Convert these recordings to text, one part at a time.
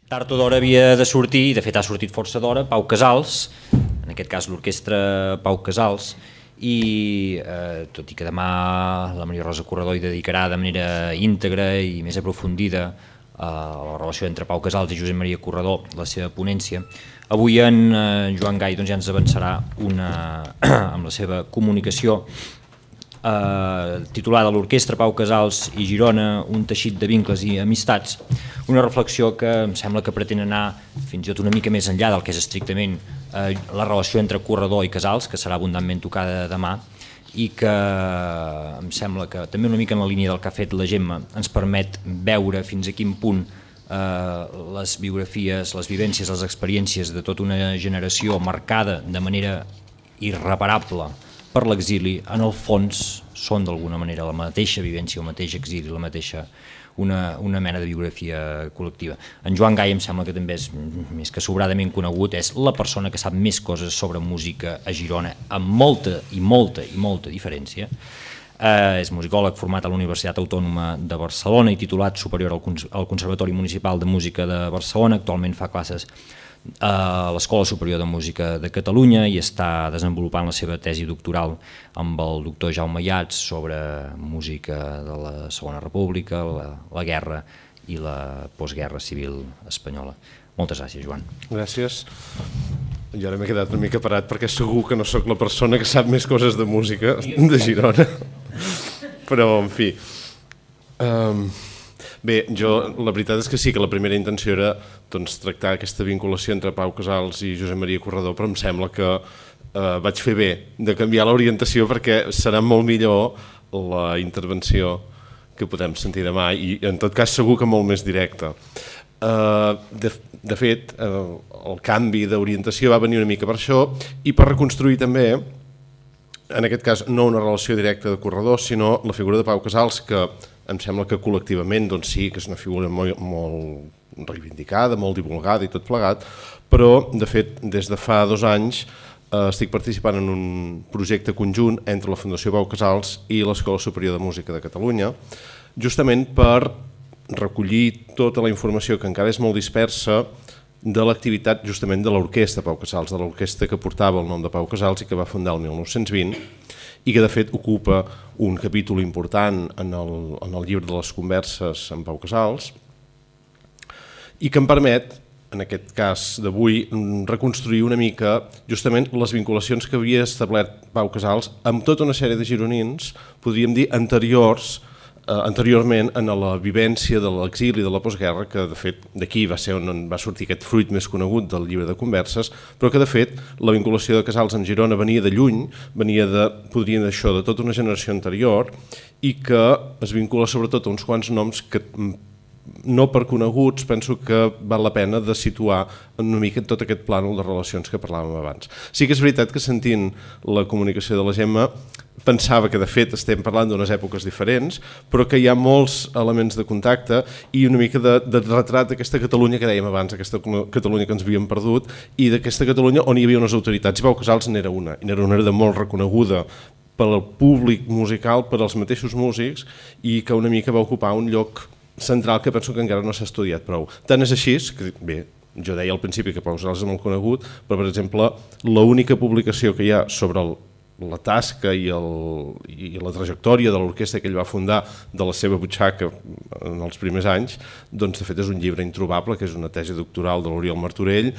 Tard o d'hora havia de sortir, i de fet ha sortit força d'hora, Pau Casals, en aquest cas l'orquestra Pau Casals, i tot i que demà la Maria Rosa Corredor hi dedicarà de manera íntegra i més aprofundida a la relació entre Pau Casals i Josep Maria Corredor, la seva ponència, avui en Joan Gai ja ens avançarà amb la seva comunicació titulada L'Orquestra Pau Casals i Girona, un teixit de vincles i amistats, una reflexió que em sembla que pretén anar fins i tot una mica més enllà del que és estrictament la relació entre Corredor i Casals, que serà abundantment tocada demà, i que em sembla que també una mica en la línia del que ha fet la Gemma ens permet veure fins a quin punt les biografies, les vivències, les experiències de tota una generació marcada de manera irreparable per l'exili, en el fons són d'alguna manera la mateixa vivència, el mateix exili, la mateixa una mena de biografia col·lectiva. En Joan Gai em sembla que també és més que sobradament conegut, és la persona que sap més coses sobre música a Girona, amb molta diferència. És musicòleg format a la Universitat Autònoma de Barcelona i titulat superior al Conservatori Municipal de Música de Barcelona. Actualment fa classes a l'Escola Superior de Música de Catalunya i està desenvolupant la seva tesi doctoral amb el doctor Jaume Yats sobre música de la Segona República, la guerra i la postguerra civil espanyola. Moltes gràcies, Joan. Gràcies. Jo ara m'he quedat una mica parat perquè segur que no sóc la persona que sap més coses de música de Girona, però en fi... Bé, la veritat és que sí que la primera intenció era tractar aquesta vinculació entre Pau Casals i Josep Maria Corredor, però em sembla que vaig fer bé de canviar l'orientació perquè serà molt millor la intervenció que podem sentir demà i en tot cas segur que molt més directa. De fet, el canvi d'orientació va venir una mica per això i per reconstruir també, en aquest cas no una relació directa de Corredor, sinó la figura de Pau Casals, que em sembla que col·lectivament sí que és una figura molt reivindicada, molt divulgada i tot plegat, però de fet des de fa 2 anys estic participant en un projecte conjunt entre la Fundació Pau Casals i l'Escola Superior de Música de Catalunya, justament per recollir tota la informació que encara és molt dispersa de l'activitat justament de l'orquestra Pau Casals, de l'orquestra que portava el nom de Pau Casals i que va fundar el 1920 i que de fet ocupa un capítol important en el llibre de les converses amb Pau Casals i que em permet, en aquest cas d'avui, reconstruir una mica justament les vinculacions que havia establert Pau Casals amb tota una sèrie de gironins, podríem dir anteriorment en la vivència de l'exili de la postguerra, que de fet d'aquí va ser on va sortir aquest fruit més conegut del llibre de converses, però que de fet la vinculació de Casals amb Girona venia de lluny, venia de, podríem dir això, de tota una generació anterior i que es vincula sobretot a uns quants noms que no per coneguts penso que val la pena de situar una mica tot aquest plànol de relacions que parlàvem abans. Sí que és veritat que sentint la comunicació de la Gemma pensava que de fet estem parlant d'unes èpoques diferents, però que hi ha molts elements de contacte i una mica de retrat d'aquesta Catalunya que dèiem abans, aquesta Catalunya que ens havíem perdut i d'aquesta Catalunya on hi havia unes autoritats. I Pau Casals n'era una, i n'era una de molt reconeguda pel públic musical, per als mateixos músics i que una mica va ocupar un lloc central que penso que encara no s'ha estudiat prou. Tant és així que, bé, jo deia al principi que Pau Casals és molt conegut, però per exemple l'única publicació que hi ha sobre la tasca i la trajectòria de l'orquestra que ell va fundar de la seva butxaca en els primers anys, doncs de fet és un llibre introbable, que és una tesi doctoral de l'Oriol Martorell,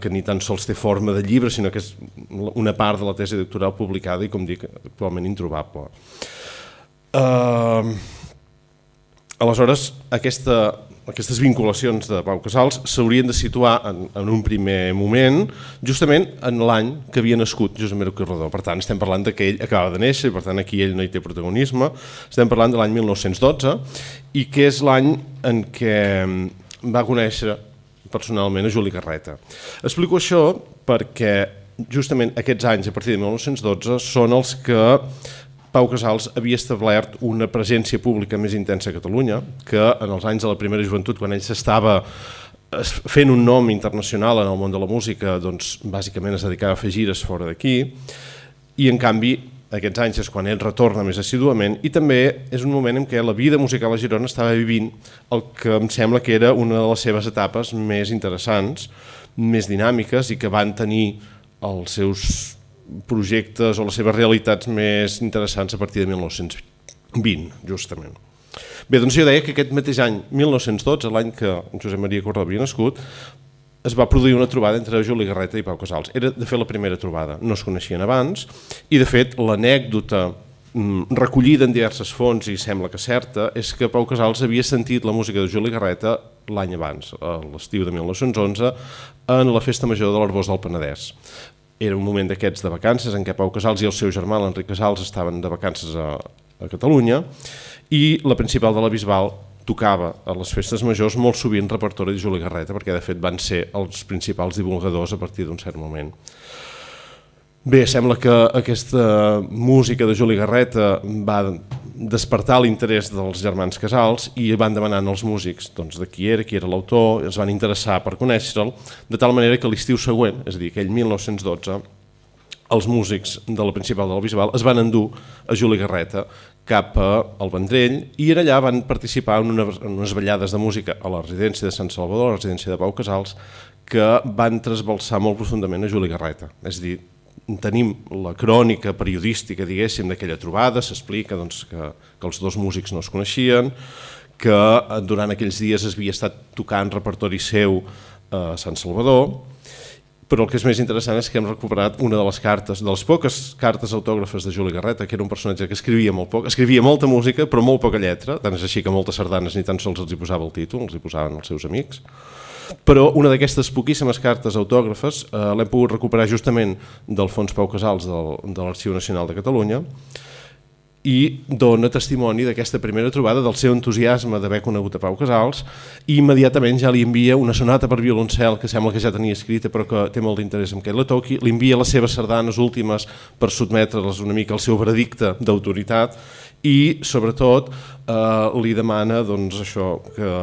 que ni tan sols té forma de llibre, sinó que és una part de la tesi doctoral publicada i, com dic, actualment introbable. Aleshores, aquestes vinculacions de Pau Casals s'haurien de situar en un primer moment justament en l'any que havia nascut Josep Maria Corredor. Per tant, estem parlant que ell acaba de néixer i per tant aquí ell no hi té protagonisme. Estem parlant de l'any 1912 i que és l'any en què va conèixer personalment a Juli Garreta. Explico això perquè justament aquests anys, a partir de 1912, són els que Pau Casals havia establert una presència pública més intensa a Catalunya, que en els anys de la primera joventut, quan ell s'estava fent un nom internacional en el món de la música, doncs bàsicament es dedicava a fer gires fora d'aquí, i en canvi Aquests anys és quan ell retorna més assiduament i també és un moment en què la vida musical a Girona estava vivint el que em sembla que era una de les seves etapes més interessants, més dinàmiques i que van tenir els seus projectes o les seves realitats més interessants a partir de 1920, justament. Bé, doncs jo deia que aquest mateix any, 1912, l'any que Josep Maria Corredor havia nascut, es va produir una trobada entre Juli Garreta i Pau Casals. Era, de fet, la primera trobada. No es coneixien abans i, de fet, l'anècdota recollida en diverses fonts i sembla que certa és que Pau Casals havia sentit la música de Juli Garreta l'any abans, a l'estiu de 1911, en la Festa Major de l'Arboç del Penedès. Era un moment d'aquests de vacances en què Pau Casals i el seu germà, l'Enric Casals, estaven de vacances a Catalunya i la principal de la Bisbal tocava a les festes majors molt sovint repertori de Juli Garreta, perquè de fet van ser els principals divulgadors a partir d'un cert moment. Bé, sembla que aquesta música de Juli Garreta va despertar l'interès dels germans Casals i van demanant als músics doncs, de qui era l'autor, es van interessar per conèixer-lo, de tal manera que l'estiu següent, és a dir, aquell 1912, els músics de la principal de la Bisbal es van endur a Juli Garreta cap al Vendrell i allà van participar en unes ballades de música a la residència de Sant Salvador, a la residència de Pau Casals, que van trasbalsar molt profundament a Juli Garreta. És a dir, tenim la crònica periodística, diguéssim, d'aquella trobada, s'explica doncs, que els dos músics no es coneixien, que durant aquells dies es havia estat tocant repertori seu a Sant Salvador, però el que és més interessant és que hem recuperat una de les cartes, de les poques cartes autògrafes de Juli Garreta, que era un personatge que escrivia molt poc, escrivia molta música però molt poca lletra, tant és així que moltes sardanes ni tan sols els hi posava el títol, els hi posaven els seus amics. Però una d'aquestes poquíssimes cartes autògrafes l'hem pogut recuperar justament del Fons Pau Casals de l'Arxiu Nacional de Catalunya i dona testimoni d'aquesta primera trobada, del seu entusiasme d'haver conegut a Pau Casals i immediatament ja li envia una sonata per violoncel que sembla que ja tenia escrita però que té molt d'interès en que la toqui, li envia les seves sardanes últimes per sotmetre-les una mica al seu veredicte d'autoritat i sobretot li demana doncs, això, que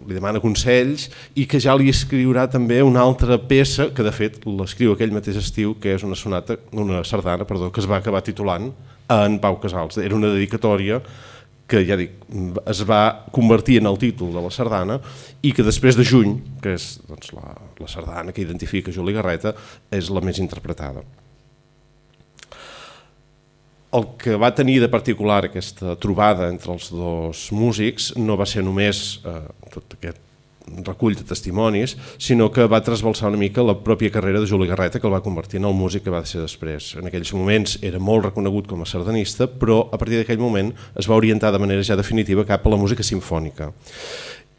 li demana consells i que ja li escriurà també una altra peça que de fet l'escriu aquell mateix estiu, que és una sardana que es va acabar titulant en Pau Casals. Era una dedicatòria que ja dic, es va convertir en el títol de la sardana i que després de Juny, que és doncs, la sardana que identifica Juli Garreta, és la més interpretada. El que va tenir de particular aquesta trobada entre els dos músics no va ser només tot aquest recull de testimonis, sinó que va trasbalsar una mica la pròpia carrera de Juli Garreta, que el va convertir en el músic que va ser després. En aquells moments era molt reconegut com a sardanista, però a partir d'aquell moment es va orientar de manera ja definitiva cap a la música simfònica.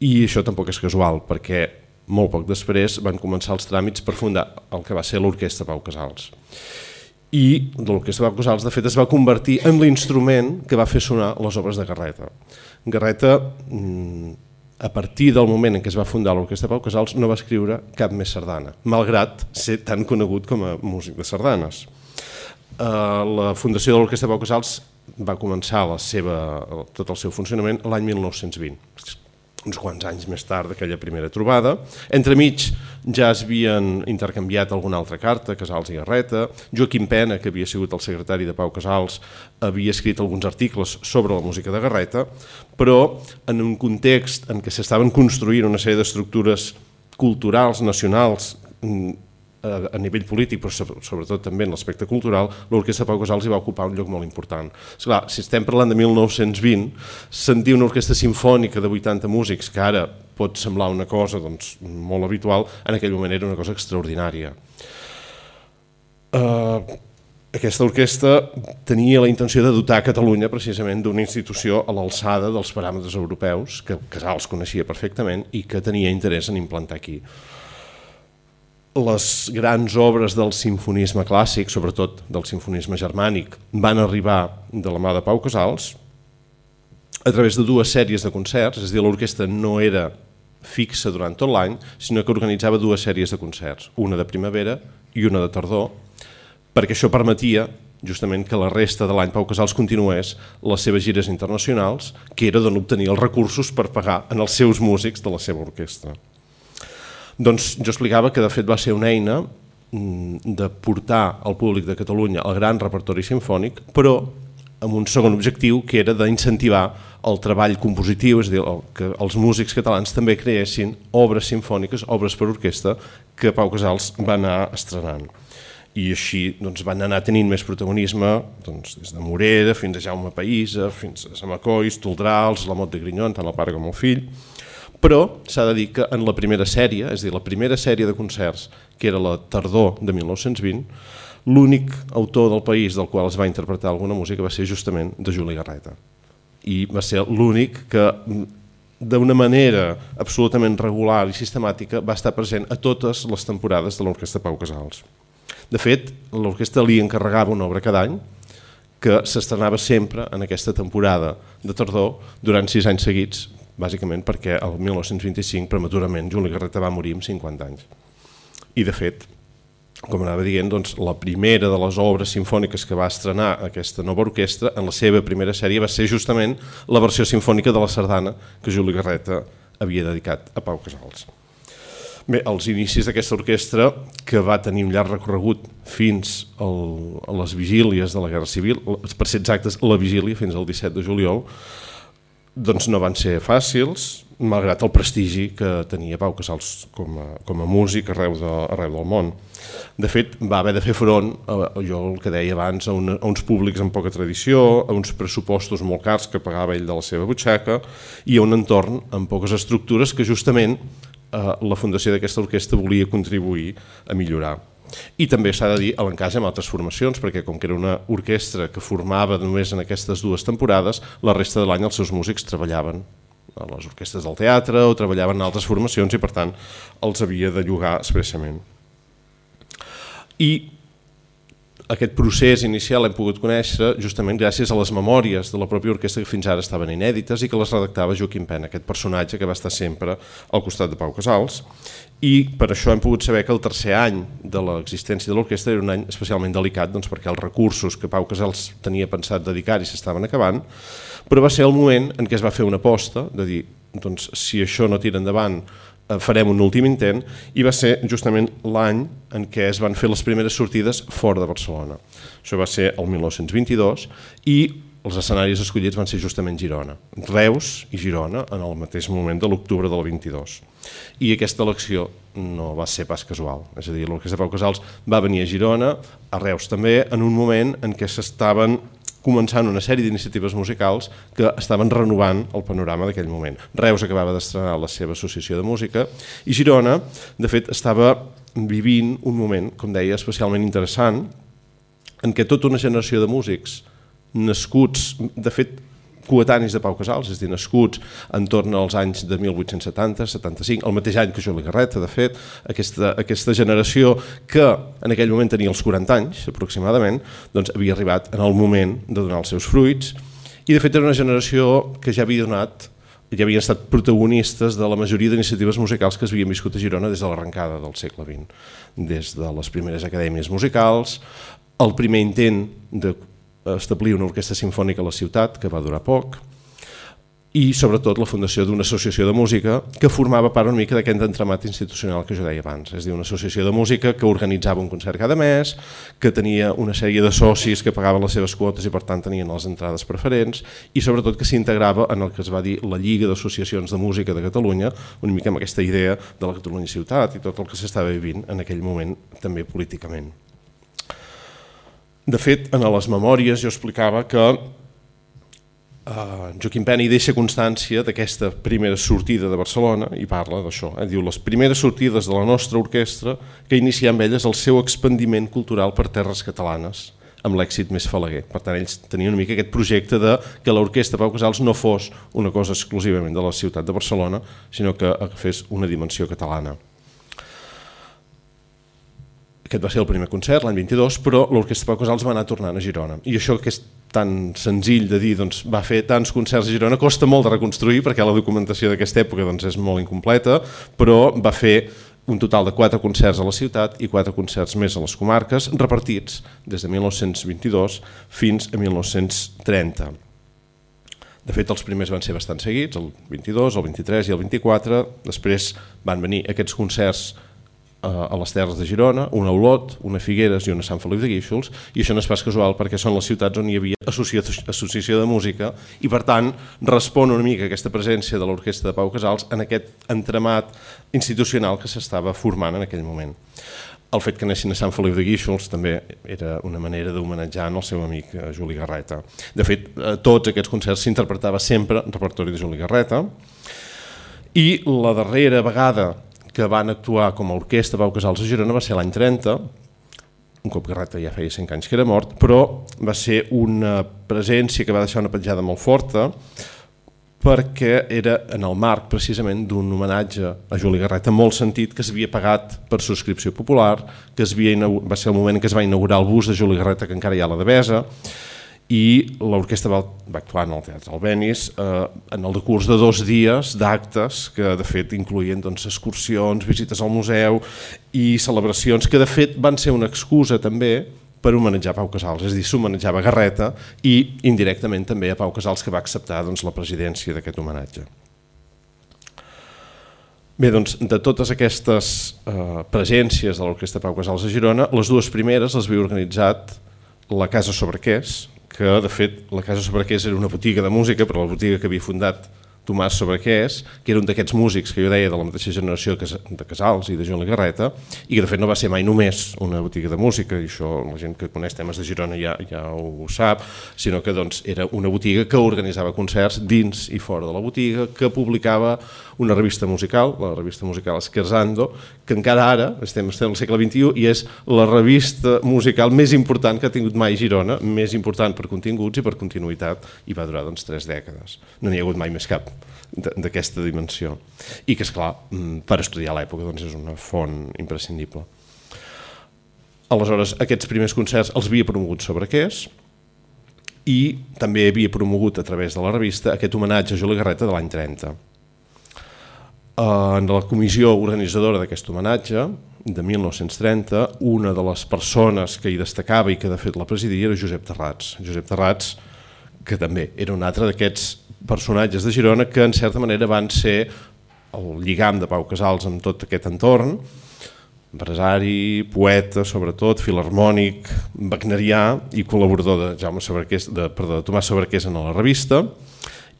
I això tampoc és casual, perquè molt poc després van començar els tràmits per fundar el que va ser l'Orquestra Pau Casals. I l'Orquestra Pau Casals, de fet, es va convertir en l'instrument que va fer sonar les obres de Garreta. Garreta, a partir del moment en què es va fundar l'Orquestra Pau Casals, no va escriure cap més sardana, malgrat ser tan conegut com a músic de sardanes. La fundació de l'Orquestra Pau Casals va començar tot el seu funcionament l'any 1920, uns quants anys més tard d'aquella primera trobada. Entremig ja es havien intercanviat alguna altra carta, Casals i Garreta. Joaquim Pena, que havia sigut el secretari de Pau Casals, havia escrit alguns articles sobre la música de Garreta, però en un context en què s'estaven construint una sèrie d'estructures culturals, nacionals, a nivell polític, però sobretot també en l'aspecte cultural, l'Orquestra Pau Casals hi va ocupar un lloc molt important. Esclar, si estem parlant de 1920, sentir una orquestra simfònica de 80 músics, que ara pot semblar una cosa doncs, molt habitual, en aquell moment era una cosa extraordinària. Aquesta orquestra tenia la intenció de dotar Catalunya precisament d'una institució a l'alçada dels paràmetres europeus, que Casals coneixia perfectament i que tenia interès en implantar aquí. Les grans obres del simfonisme clàssic, sobretot del simfonisme germànic, van arribar de la mà de Pau Casals a través de dues sèries de concerts, és a dir, l'orquestra no era fixa durant tot l'any, sinó que organitzava dues sèries de concerts, una de primavera i una de tardor, perquè això permetia justament que la resta de l'any Pau Casals continués les seves gires internacionals, que era d'on obtenir els recursos per pagar en els seus músics de la seva orquestra. Doncs jo explicava que de fet va ser una eina de portar al públic de Catalunya el gran repertori simfònic, però amb un segon objectiu, que era d'incentivar el treball compositiu, és a dir, que els músics catalans també creessin obres simfòniques, obres per orquestra, que Pau Casals va anar estrenant. I així van anar tenint més protagonisme des de Morera fins a Jaume Païssa, fins a Samacois, Toldrals, la Mot de Grinyon, tant el pare com el fill. Però s'ha de dir que en la primera sèrie, és a dir, la primera sèrie de concerts, que era la tardor de 1920, l'únic autor del país del qual es va interpretar alguna música va ser justament de Juli Garreta. I va ser l'únic que, d'una manera absolutament regular i sistemàtica, va estar present a totes les temporades de l'Orquestra Pau Casals. De fet, l'orquestra li encarregava una obra cada any, que s'estrenava sempre en aquesta temporada de tardor durant 6 anys seguits, bàsicament perquè el 1925 prematurament Juli Garreta va morir amb 50 anys. I de fet, com anava dient, la primera de les obres simfòniques que va estrenar aquesta nova orquestra en la seva primera sèrie va ser justament la versió simfònica de la sardana que Juli Garreta havia dedicat a Pau Casals. Bé, els inicis d'aquesta orquestra, que va tenir un llarg recorregut fins a les vigílies de la Guerra Civil, per ser exactes, la vigília fins al 17 de juliol, no van ser fàcils, malgrat el prestigi que tenia Pau Casals com a músic arreu del món. De fet, va haver de fer front, jo el que deia abans, a uns públics amb poca tradició, a uns pressupostos molt cars que pagava ell de la seva butxaca i a un entorn amb poques estructures que justament la fundació d'aquesta orquestra volia contribuir a millorar. I també s'ha de dir l'encaix amb altres formacions, perquè com que era una orquestra que formava només en aquestes 2 temporades, la resta de l'any els seus músics treballaven a les orquestres del teatre o treballaven en altres formacions i per tant els havia de llogar expressament. I aquest procés inicial l'hem pogut conèixer justament gràcies a les memòries de la pròpia orquestra que fins ara estaven inèdites i que les redactava Joaquim Pena, aquest personatge que va estar sempre al costat de Pau Casals. I per això hem pogut saber que el tercer any de l'existència de l'orquestra era un any especialment delicat, perquè els recursos que Pau Casals tenia pensat dedicar-hi s'estaven acabant, però va ser el moment en què es va fer una aposta de dir, si això no tira endavant, farem un últim intent, i va ser justament l'any en què es van fer les primeres sortides fora de Barcelona. Això va ser el 1922 i els escenaris escollits van ser justament Girona, Reus i Girona en el mateix moment de l'octubre del 22. I aquesta elecció no va ser pas casual, és a dir, l'Orquestra Pau Casals va venir a Girona, a Reus també, en un moment en què s'estaven començant una sèrie d'iniciatives musicals que estaven renovant el panorama d'aquell moment. Reus acabava d'estrenar la seva associació de música i Girona, de fet, estava vivint un moment, com deia, especialment interessant, en què tota una generació de músics nascuts, de fet, coetanis de Pau Casals, és a dir, nascuts entorn als anys de 1870-75, el mateix any que Juli Garreta, de fet, aquesta generació que en aquell moment tenia els 40 anys, aproximadament, havia arribat en el moment de donar els seus fruits, i de fet era una generació que ja havia havien estat protagonistes de la majoria d'iniciatives musicals que es havien viscut a Girona des de l'arrencada del segle XX, des de les primeres acadèmies musicals, el primer intent d'establir una orquestra simfònica a la ciutat, que va durar poc, i sobretot la fundació d'una associació de música que formava part una mica d'aquest entramat institucional que jo deia abans, és a dir, una associació de música que organitzava un concert cada mes, que tenia una sèrie de socis que pagaven les seves quotes i per tant tenien les entrades preferents, i sobretot que s'integrava en el que es va dir la Lliga d'Associacions de Música de Catalunya, una mica amb aquesta idea de la Catalunya ciutat i tot el que s'estava vivint en aquell moment també políticament. De fet, en les memòries jo explicava que Joaquim Pena hi deixa constància d'aquesta primera sortida de Barcelona i parla d'això, diu les primeres sortides de la nostra orquestra que iniciem amb elles el seu expandiment cultural per terres catalanes amb l'èxit més falaguer. Per tant, ells tenien una mica aquest projecte de que l'orquestra Pau Casals no fos una cosa exclusivament de la ciutat de Barcelona, sinó que fes una dimensió catalana. Aquest va ser el primer concert, l'any 22, però l'Orquestra Pau Casals va anar tornant a Girona. I això que és tan senzill de dir, va fer tants concerts a Girona, costa molt de reconstruir perquè la documentació d'aquesta època és molt incompleta, però va fer un total de 4 concerts a la ciutat i 4 concerts més a les comarques, repartits des de 1922 fins a 1930. De fet, els primers van ser bastant seguits, el 22, el 23 i el 24, després van venir aquests concerts a les Terres de Girona, una a Olot, una a Figueres i una a Sant Feliu de Guíxols, i això no és pas casual perquè són les ciutats on hi havia associació de música i per tant respon una mica aquesta presència de l'Orquestra de Pau Casals en aquest entramat institucional que s'estava formant en aquell moment. El fet que anessin a Sant Feliu de Guíxols també era una manera d'homenatjar el seu amic Juli Garreta. De fet, tots aquests concerts s'interpretava sempre en repertori de Juli Garreta i la darrera vegada que van actuar com a orquestra Pau Casals a Girona va ser l'any 30, un cop Garreta ja feia 5 anys que era mort, però va ser una presència que va deixar una petjada molt forta perquè era en el marc precisament d'un homenatge a Juli Garreta molt sentit que s'havia pagat per subscripció popular, que va ser el moment en què es va inaugurar el bus de Juli Garreta que encara hi ha a la Devesa, i l'orquestra va actuar en el Teatre Albéniz en el decurs de 2 dies d'actes que de fet incloïen excursions, visites al museu i celebracions que de fet van ser una excusa també per homenatjar Pau Casals, és a dir, s'homenatjava Garreta i indirectament també a Pau Casals que va acceptar la presidència d'aquest homenatge. Bé, doncs, de totes aquestes presències de l'Orquestra Pau Casals a Girona, les 2 primeres les havia organitzat la Casa Sobrequés, que de fet la Casa Sobrequés era una botiga de música, però la botiga que havia fundat Tomàs Sobrequés, que era un d'aquests músics que jo deia de la mateixa generació de Casals i de Juli Garreta, i que de fet no va ser mai només una botiga de música, i això la gent que coneix temes de Girona ja ho sap, sinó que era una botiga que organitzava concerts dins i fora de la botiga, que publicava una revista musical, la revista musical Scherzando, que encara ara, estem al segle XXI, i és la revista musical més important que ha tingut mai Girona, més important per continguts i per continuïtat, i va durar 3 dècades. No n'hi ha hagut mai més cap d'aquesta dimensió. I que, esclar, per estudiar l'època és una font imprescindible. Aleshores, aquests primers concerts els havia promogut Sobrequés i també havia promogut a través de la revista aquest homenatge a Juli Garreta de l'any 30. En la comissió organitzadora d'aquest homenatge, de 1930, una de les persones que hi destacava i que de fet la presidia era Josep Terrats. Josep Terrats, que també era un altre d'aquests personatges de Girona que en certa manera van ser el lligam de Pau Casals amb tot aquest entorn, empresari, poeta, sobretot, filharmònic, wagnerià i col·laborador de Tomàs Sobrequés en la revista,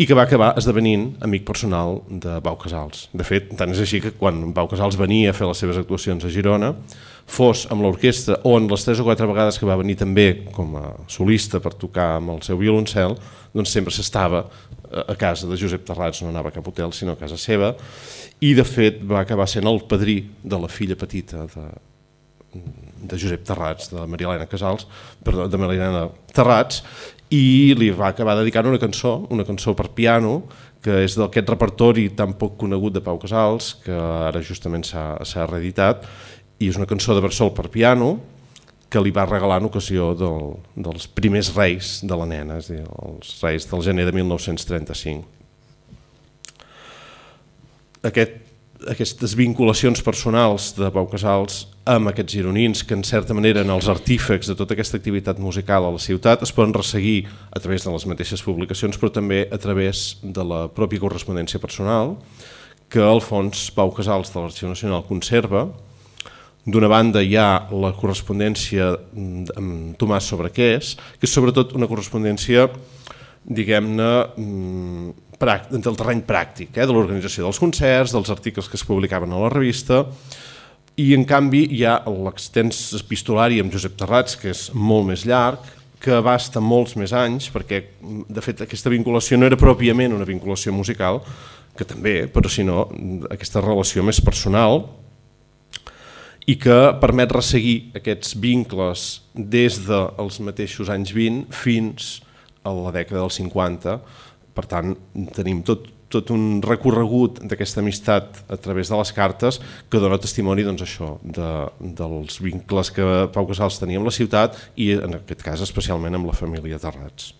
i que va acabar esdevenint amic personal de Pau Casals. De fet, tant és així que quan Pau Casals venia a fer les seves actuacions a Girona, fos amb l'orquestra o en les 3 o 4 vegades que va venir també com a solista per tocar amb el seu violoncel, doncs sempre s'estava a casa de Josep Terrats, no anava a cap hotel sinó a casa seva, i de fet va acabar sent el padrí de la filla petita de Josep Terrats, de Maria Elena Terrats, i li va acabar dedicant una cançó per piano, que és d'aquest repertori tan poc conegut de Pau Casals, que ara justament s'ha reeditat, i és una cançó de Barçol per piano que li va regalar en ocasió dels primers reis de la nena, és a dir, els reis del gener de 1935. Aquestes vinculacions personals de Pau Casals amb aquests gironins, que en certa manera eren els artífecs de tota aquesta activitat musical a la ciutat, es poden resseguir a través de les mateixes publicacions, però també a través de la pròpia correspondència personal, que el Fons Pau Casals de l'Arxiu Nacional conserva. D'una banda hi ha la correspondència amb Tomàs Sobrequés, que és sobretot una correspondència, diguem-ne, del terreny pràctic, de l'organització dels concerts, dels articles que es publicaven a la revista, i en canvi hi ha l'extens epistolari amb Josep Terrats, que és molt més llarg, que abasta molts més anys, perquè de fet aquesta vinculació no era pròpiament una vinculació musical, que també, però sinó aquesta relació més personal, i que permet resseguir aquests vincles des dels mateixos anys 20 fins a la dècada dels 50. Per tant, tenim tot un recorregut d'aquesta amistat a través de les cartes que dona testimoni dels vincles que Pau Casals tenia amb la ciutat i en aquest cas especialment amb la família Terrats.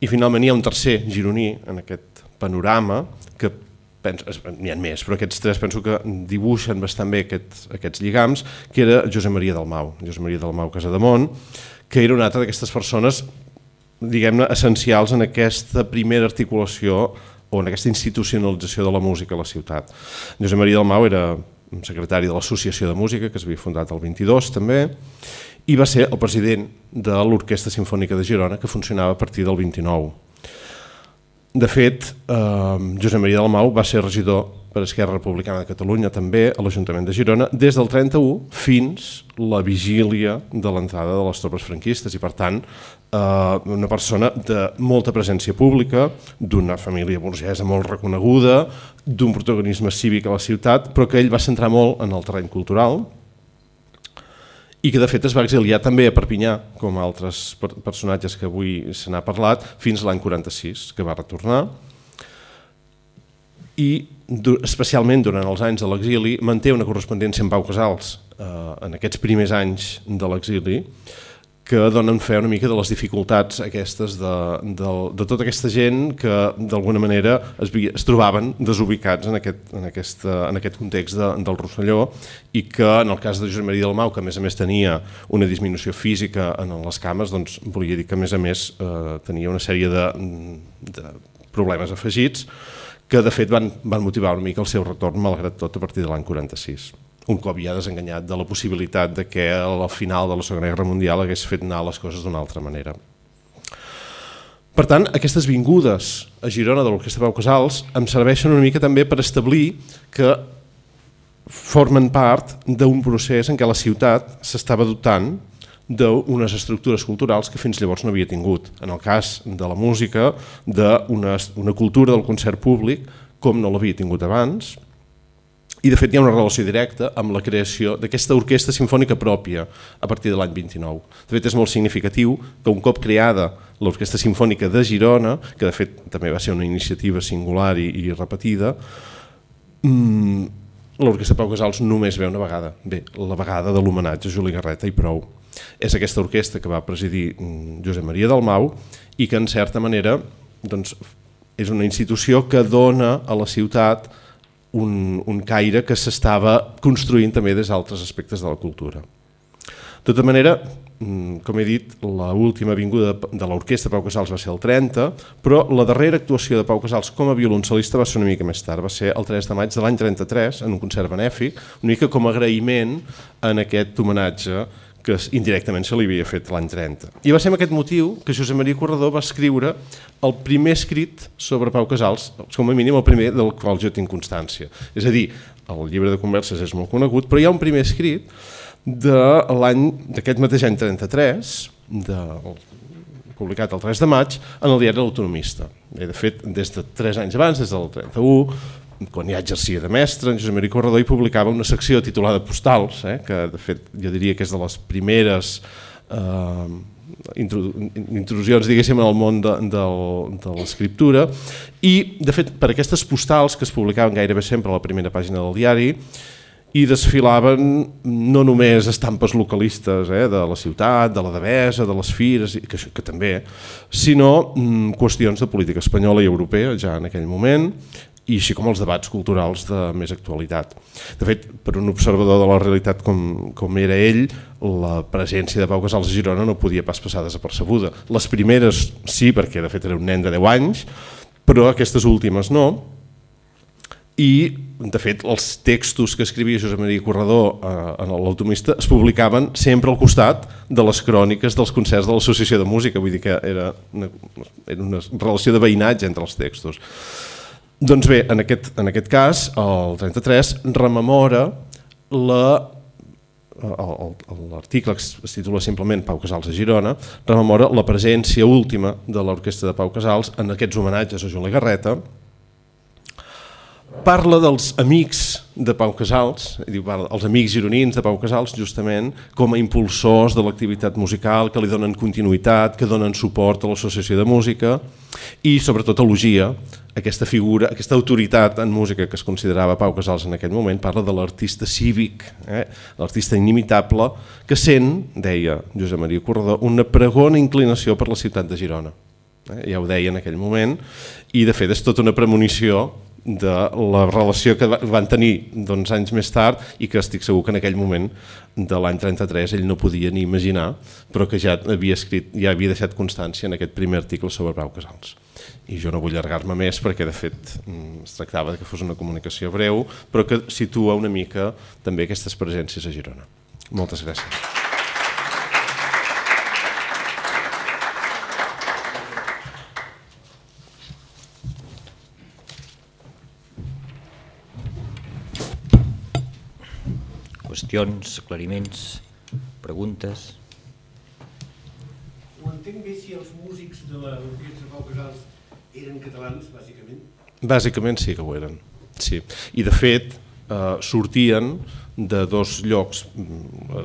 I finalment hi ha un tercer gironí en aquest panorama que n'hi ha més, però aquests 3 penso que dibuixen bastant bé aquests lligams, que era Josep Maria Dalmau Casademont, que era una altra d'aquestes persones, diguem-ne, essencials en aquesta primera articulació o en aquesta institucionalització de la música a la ciutat. Josep Maria Dalmau era secretari de l'Associació de Música, que s'havia fundat el 22 també, i va ser el president de l'Orquestra Simfònica de Girona, que funcionava a partir del 29. De fet, Josep Maria Dalmau va ser regidor per Esquerra Republicana de Catalunya també a l'Ajuntament de Girona des del 31 fins la vigília de l'entrada de les tropes franquistes i per tant una persona de molta presència pública, d'una família burgesa molt reconeguda, d'un protagonisme cívic a la ciutat, però que ell va centrar molt en el terreny cultural i que de fet es va exiliar també a Perpinyà, com altres personatges que avui se n'ha parlat, fins l'any 46, que va retornar. I especialment durant els anys de l'exili manté una correspondència amb Pau Casals en aquests primers anys de l'exili, que donen fe una mica de les dificultats aquestes de tota aquesta gent que d'alguna manera es trobaven desubicats en aquest context del Rosselló i que en el cas de Josep Maria Dalmau, que a més tenia una disminució física en les cames, doncs volia dir que a més tenia una sèrie de problemes afegits que de fet van motivar una mica el seu retorn malgrat tot a partir de l'any 46. Un cop ja desenganyat de la possibilitat de que al final de la Segona Guerra Mundial hagués fet anar les coses d'una altra manera. Per tant, aquestes vingudes a Girona de l'Orquestra Pau Casals em serveixen una mica també per establir que formen part d'un procés en què la ciutat s'estava dotant d'unes estructures culturals que fins llavors no havia tingut. En el cas de la música, d'una cultura del concert públic com no l'havia tingut abans. I de fet hi ha una relació directa amb la creació d'aquesta orquestra simfònica pròpia a partir de l'any 29. De fet és molt significatiu que un cop creada l'Orquestra Simfònica de Girona, que de fet també va ser una iniciativa singular i repetida, l'Orquestra Pau Casals només ve una vegada, la vegada de l'homenatge a Juli Garreta i prou. És aquesta orquestra que va presidir Josep Maria Dalmau i que en certa manera és una institució que dona a la ciutat un caire que s'estava construint també des d'altres aspectes de la cultura. De tota manera, com he dit, l'última vinguda de l'Orquestra Pau Casals va ser el 30, però la darrera actuació de Pau Casals com a violoncel·lista va ser una mica més tard, va ser el 3 de maig de l'any 33, en un concert benèfic, una mica com a agraïment en aquest homenatge que indirectament se li havia fet l'any 30. I va ser amb aquest motiu que Josep Maria Corredor va escriure el primer escrit sobre Pau Casals, com a mínim el primer del qual jo tinc constància. És a dir, el llibre de converses és molt conegut, però hi ha un primer escrit d'aquest mateix any 33, publicat el 3 de maig, en el diari L'Autonomista. De fet, des de 3 anys abans, des del 31, quan ja exercia de mestre, en Josep Maria Corredor hi publicava una secció titulada Postals, que de fet jo diria que és de les primeres intrusions, diguéssim, en el món de l'escriptura, i de fet per aquestes postals que es publicaven gairebé sempre a la primera pàgina del diari hi desfilaven no només estampes localistes de la ciutat, de la Devesa, de les fires, que també, sinó qüestions de política espanyola i europea ja en aquell moment, i així com els debats culturals de més actualitat. De fet, per un observador de la realitat com era ell, la presència de Pau Casals a Girona no podia pas passar desapercebuda. Les primeres sí, perquè de fet era un nen de 10 anys, però aquestes últimes no. I, de fet, els textos que escrivia Josep Maria Corredor en l'Autonomista es publicaven sempre al costat de les cròniques dels concerts de l'Associació de Música, vull dir que era una relació de veïnatge entre els textos. Doncs bé, en aquest cas, el 33 rememora l'article que es titula simplement Pau Casals a Girona, rememora la presència última de l'Orquestra de Pau Casals en aquests homenatges a Juli Garreta, parla dels amics de Pau Casals, els amics gironins de Pau Casals, justament com a impulsors de l'activitat musical, que li donen continuïtat, que donen suport a l'Associació de Música i sobretot elogia aquesta figura, aquesta autoritat en música que es considerava Pau Casals en aquell moment. Parla de l'artista cívic, l'artista inimitable, que sent, deia Josep Maria Corredor, una pregona inclinació per la ciutat de Girona. Ja ho deia en aquell moment, i de fet és tota una premonició de la relació que van tenir anys més tard i que estic segur que en aquell moment de l'any 33 ell no podia ni imaginar, però que ja havia escrit, ja havia deixat constància en aquest primer article sobre Pau Casals. I jo no vull allargar-me més perquè de fet es tractava que fos una comunicació breu, però que situa una mica també aquestes presències a Girona. Moltes gràcies. Qüestions, aclariments, preguntes? Ho entenc bé si els músics de l'orquestra Pau Casals eren catalans, bàsicament? Bàsicament sí que ho eren, sí. I de fet sortien de dos llocs.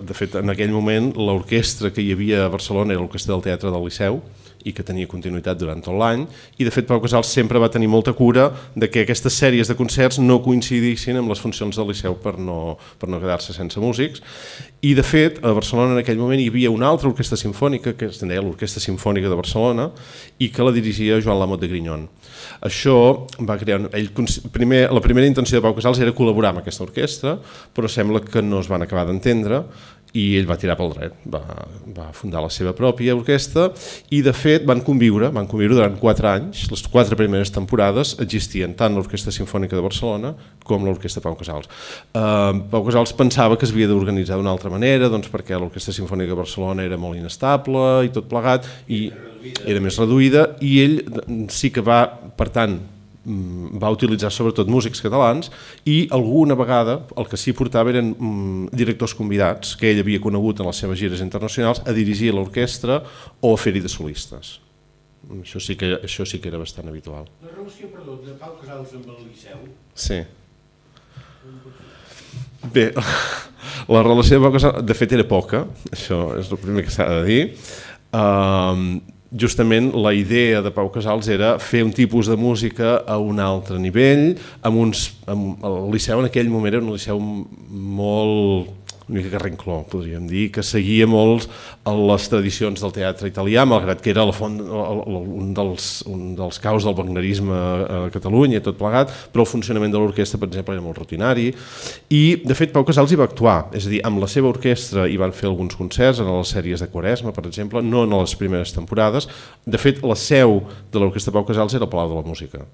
De fet, en aquell moment l'orquestra que hi havia a Barcelona era l'orquestra del Teatre del Liceu i que tenia continuïtat durant tot l'any, i de fet Pau Casals sempre va tenir molta cura de que aquestes sèries de concerts no coincidissin amb les funcions del Liceu per no quedar-se sense músics. I de fet a Barcelona en aquell moment hi havia una altra orquestra simfònica que es deia l'Orquestra Simfònica de Barcelona i que la dirigia Joan Lamot de Grignon. Això va crear... La primera intenció de Pau Casals era col·laborar amb aquesta orquestra, però sembla que no es van acabar d'entendre i ell va tirar pel dret, va fundar la seva pròpia orquestra i de fet van conviure durant 4 anys. Les 4 primeres temporades existien tant l'Orquestra Simfònica de Barcelona com l'Orquestra Pau Casals. Pau Casals pensava que es havia d'organitzar d'una altra manera, doncs perquè l'Orquestra Simfònica de Barcelona era molt inestable i tot plegat, i era més reduïda, i ell sí que va, per tant, va utilitzar sobretot músics catalans i alguna vegada el que s'hi portava eren directors convidats que ell havia conegut en les seves gires internacionals a dirigir l'orquestra o a fer-hi de solistes. Això sí que era bastant habitual. La relació, perdó, de Pau Casals amb el Liceu? Sí. Bé, la relació de Pau Casals de fet era poca, això és el primer que s'ha de dir. Justament la idea de Pau Casals era fer un tipus de música a un altre nivell, el Liceu en aquell moment era un liceu molt, una mica carrencló, podríem dir, que seguia molt les tradicions del teatre italià, malgrat que era la font, un dels caus del wagnerisme a Catalunya i tot plegat, però el funcionament de l'orquestra, per exemple, era molt rutinari, i de fet Pau Casals hi va actuar, és a dir, amb la seva orquestra hi van fer alguns concerts en les sèries de Quaresma, per exemple, no en les primeres temporades. De fet, la seu de l'Orquestra Pau Casals era el Palau de la Música.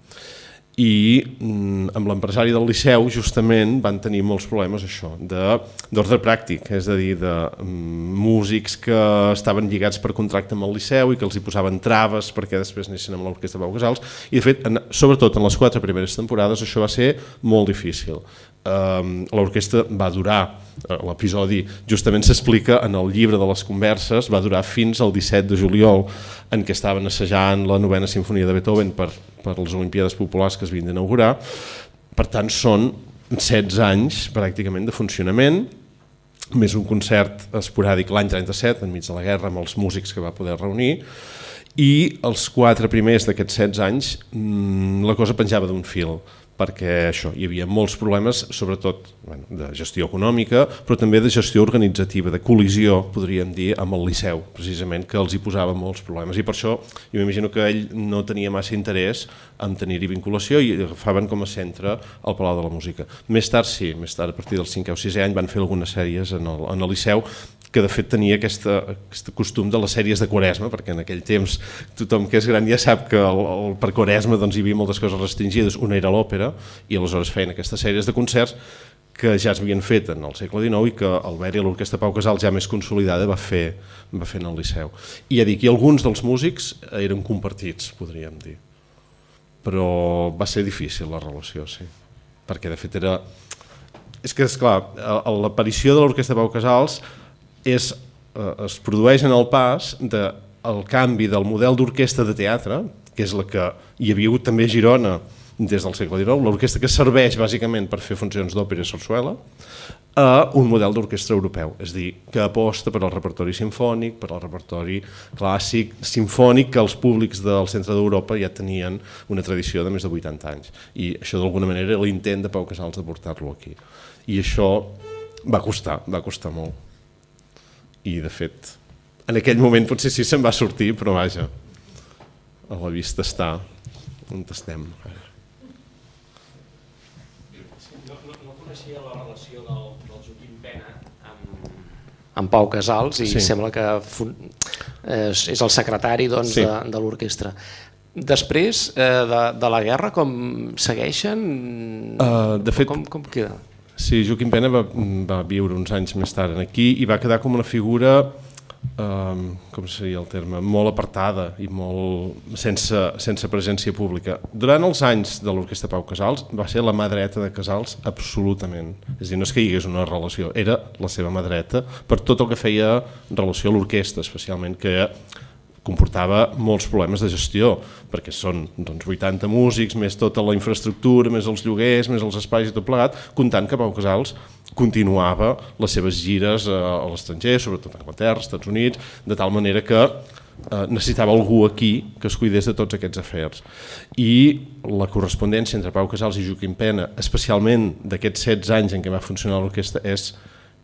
I amb l'empresari del Liceu justament van tenir molts problemes això, d'ordre pràctic, és a dir, de músics que estaven lligats per contracte amb el Liceu i que els hi posaven traves perquè després anessin amb l'Orquestra Pau Casals, i de fet, sobretot en les 4 primeres temporades això va ser molt difícil. L'orquestra va durar, l'episodi justament s'explica en el llibre de les converses, va durar fins al 17 de juliol en què estaven assajant la 9a Simfonia de Beethoven per les Olimpíades Populars que es havien d'inaugurar. Per tant, són 16 anys pràcticament de funcionament, més un concert esporàdic l'any 37, enmig de la guerra, amb els músics que va poder reunir, i els 4 primers d'aquests 16 anys la cosa penjava d'un fil, perquè això, hi havia molts problemes, sobretot de gestió econòmica, però també de gestió organitzativa, de col·lisió, podríem dir, amb el Liceu, precisament, que els hi posava molts problemes. I per això jo m'imagino que ell no tenia massa interès en tenir-hi vinculació i agafaven com a centre el Palau de la Música. Més tard sí, més tard, a partir del 5è o 6è any, van fer algunes sèries en el Liceu, que de fet tenia aquest costum de les sèries de Quaresma, perquè en aquell temps tothom que és gran ja sap que per Quaresma hi havia moltes coses restringides, una era l'òpera, i aleshores feien aquestes sèries de concerts que ja s'havien fet en el segle XIX i que Albert i l'Orquestra Pau Casals, ja més consolidada, va fer en el Liceu. I ja dic, i alguns dels músics eren compartits, podríem dir, però va ser difícil la relació, sí, perquè de fet era... És que, esclar, l'aparició de l'Orquestra Pau Casals es produeix en el pas del canvi del model d'orquestra de teatre, que és la que hi havia hagut també a Girona des del segle XIX, l'orquestra que serveix bàsicament per fer funcions d'òpera i sarsuela, a un model d'orquestra europeu, és a dir, que aposta per al repertori simfònic, per al repertori clàssic, simfònic, que els públics del centre d'Europa ja tenien una tradició de més de 80 anys. I això d'alguna manera era l'intent de Pau Casals de portar-lo aquí. I això va costar molt. I de fet, en aquell moment potser sí se'n va sortir, però vaja, a la vista està on estem. relació del Joaquim Pena amb Pau Casals i sembla que és el secretari de l'orquestra. Després de la guerra, com segueixen? De fet, com queda? Sí, Joaquim Pena va viure uns anys més tard aquí i va quedar com una figura, com seria el terme, molt apartada i molt sense presència pública. Durant els anys de l'orquestra Pau Casals va ser la mà dreta de Casals absolutament. És a dir, no és que hi hagués una relació, era la seva mà dreta per tot el que feia en relació a l'orquestra, especialment, que comportava molts problemes de gestió, perquè són 80 músics, més tota la infraestructura, més els lloguers, més els espais i tot plegat, comptant que Pau Casals continuava les seves gires a l'estranger, sobretot a Anglaterra, als Estats Units, de tal manera que necessitava algú aquí que es cuidés de tots aquests afers. I la correspondència entre Pau Casals i Joaquim Pena, especialment d'aquests 16 anys en què va funcionar l'orquestra, és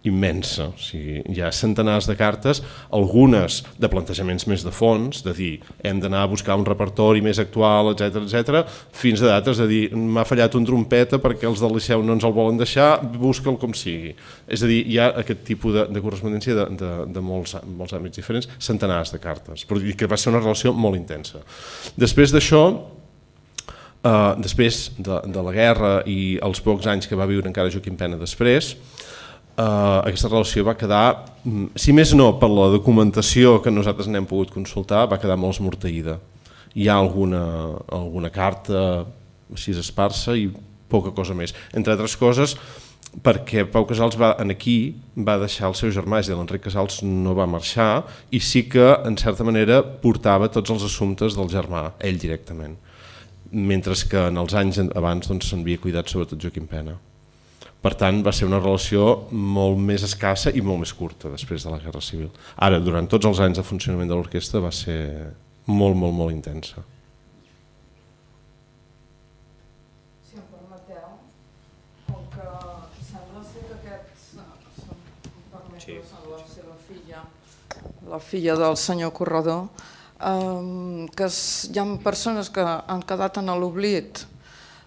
immensa. O sigui, hi ha centenars de cartes, algunes de plantejaments més de fons, de dir hem d'anar a buscar un repertori més actual, etc, fins a d'altres de dir m'ha fallat un trompeta perquè els del Liceu no ens el volen deixar, busca'l com sigui. És a dir, hi ha aquest tipus de correspondència de molts àmbits diferents, centenars de cartes, però que va ser una relació molt intensa. Després d'això, després de la guerra i els pocs anys que va viure encara Joaquim Pena després, aquesta relació va quedar, si més no per la documentació que nosaltres n'hem pogut consultar, va quedar molt esmorteïda. Hi ha alguna carta així esparsa i poca cosa més. Entre altres coses, perquè Pau Casals aquí va deixar el seu germà, i l'Enric Casals no va marxar, i sí que, en certa manera, portava tots els assumptes del germà, ell directament. Mentre que en els anys abans se'n havia cuidat sobretot Joaquim Pena. Per tant, va ser una relació molt més escassa i molt més curta després de la Guerra Civil. Ara, durant tots els anys de funcionament de l'orquestra va ser molt, molt, molt intensa. Si em permeteu, com que sembla ser que aquests, la seva filla, la filla del senyor Corredor, que hi ha persones que han quedat en l'oblit.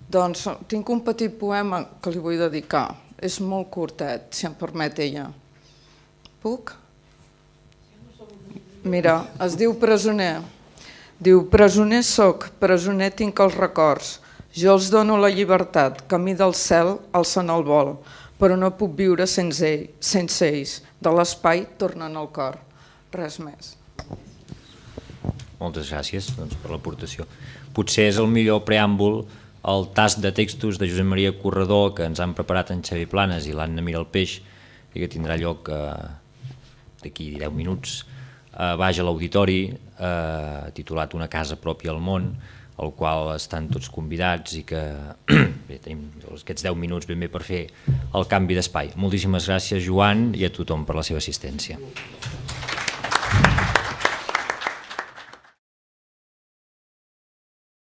Doncs tinc un petit poema que li vull dedicar. És molt curtet, si em permet ella. Puc? Mira, es diu Presoner. Diu, presoner soc, presoner tinc els records. Jo els dono la llibertat, camí del cel, alçant el vol, però no puc viure sense ells. De l'espai tornen al cor. Res més. Moltes gràcies per l'aportació. Potser és el millor preàmbul el tast de textos de Josep Maria Corredor que ens han preparat en Xavier Planes i l'Anna Miralpeix i que tindrà lloc d'aquí 10 minuts baix a l'auditori, titulat Una casa pròpia al món, al qual estan tots convidats i que tenim aquests 10 minuts ben bé per fer el canvi d'espai. Moltíssimes gràcies, Joan, i a tothom per la seva assistència.